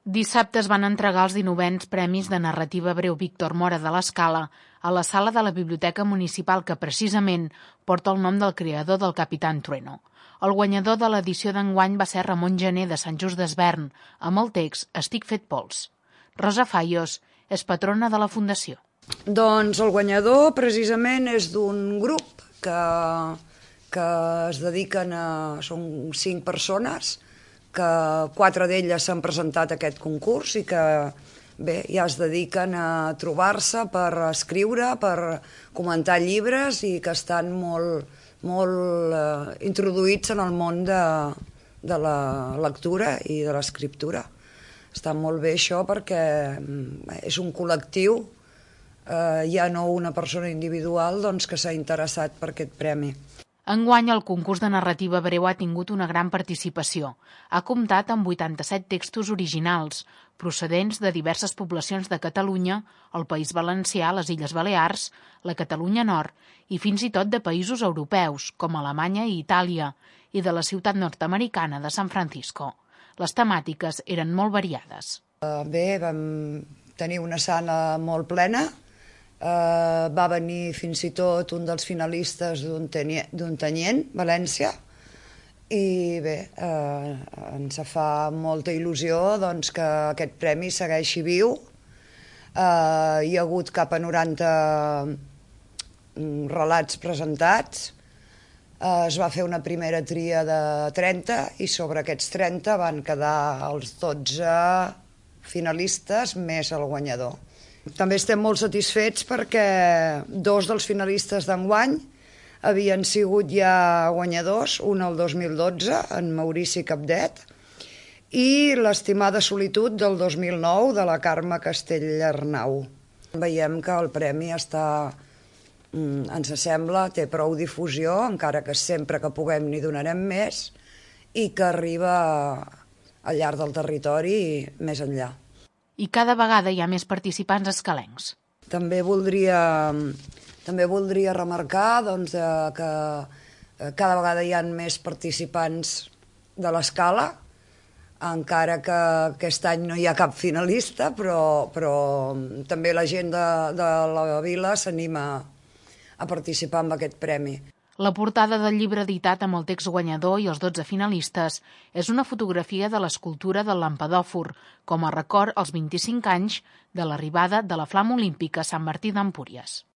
Dissabte es van entregar els 19ens Premis de Narrativa Breu Víctor Mora de l'Escala a la sala de la Biblioteca Municipal que precisament porta el nom del creador del Capitán Trueno. El guanyador de l'edició d'enguany va ser Ramon Gené de Sant Just Desvern, amb el text Estic fet pols. Rosa Fallos és patrona de la Fundació. Doncs el guanyador precisament és d'un grup que es dediquen a... Són 5 persones, que 4 d'elles s'han presentat a aquest concurs i que bé, ja es dediquen a trobar-se per escriure, per comentar llibres i que estan molt introduïts en el món de la lectura i de l'escriptura. Està molt bé això perquè és un col·lectiu, ja no una persona individual doncs, que s'ha interessat per aquest premi. Enguany, el concurs de narrativa breu ha tingut una gran participació. Ha comptat amb 87 textos originals, procedents de diverses poblacions de Catalunya, el País Valencià, les Illes Balears, la Catalunya Nord i fins i tot de països europeus, com Alemanya i Itàlia, i de la ciutat nord-americana de San Francisco. Les temàtiques eren molt variades. Bé, vam tenir una sala molt plena. Va venir fins i tot un dels finalistes d'Ontinyent, València, i bé, ens fa molta il·lusió doncs, que aquest premi segueixi viu. Hi ha hagut cap a 90 relats presentats, es va fer una primera tria de 30 i sobre aquests 30 van quedar els 12 finalistes més el guanyador. També estem molt satisfets perquè 2 dels finalistes d'enguany havien sigut ja guanyadors, un el 2012, en Maurici Capdet, i l'Estimada solitud del 2009 de la Carme Castell-Arnau. Veiem que el premi està, ens sembla, té prou difusió, encara que sempre que puguem n'hi donarem més, i que arriba al llarg del territori i més enllà. I cada vegada hi ha més participants escalencs. També voldria remarcar doncs, que cada vegada hi ha més participants de l'Escala, encara que aquest any no hi ha cap finalista, però també la gent de la vila s'anima a participar en aquest premi. La portada del llibre editat amb el text guanyador i els 12 finalistes és una fotografia de l'escultura del Lampadòfor, com a record als 25 anys de l'arribada de la Flama Olímpica a Sant Martí d'Empúries.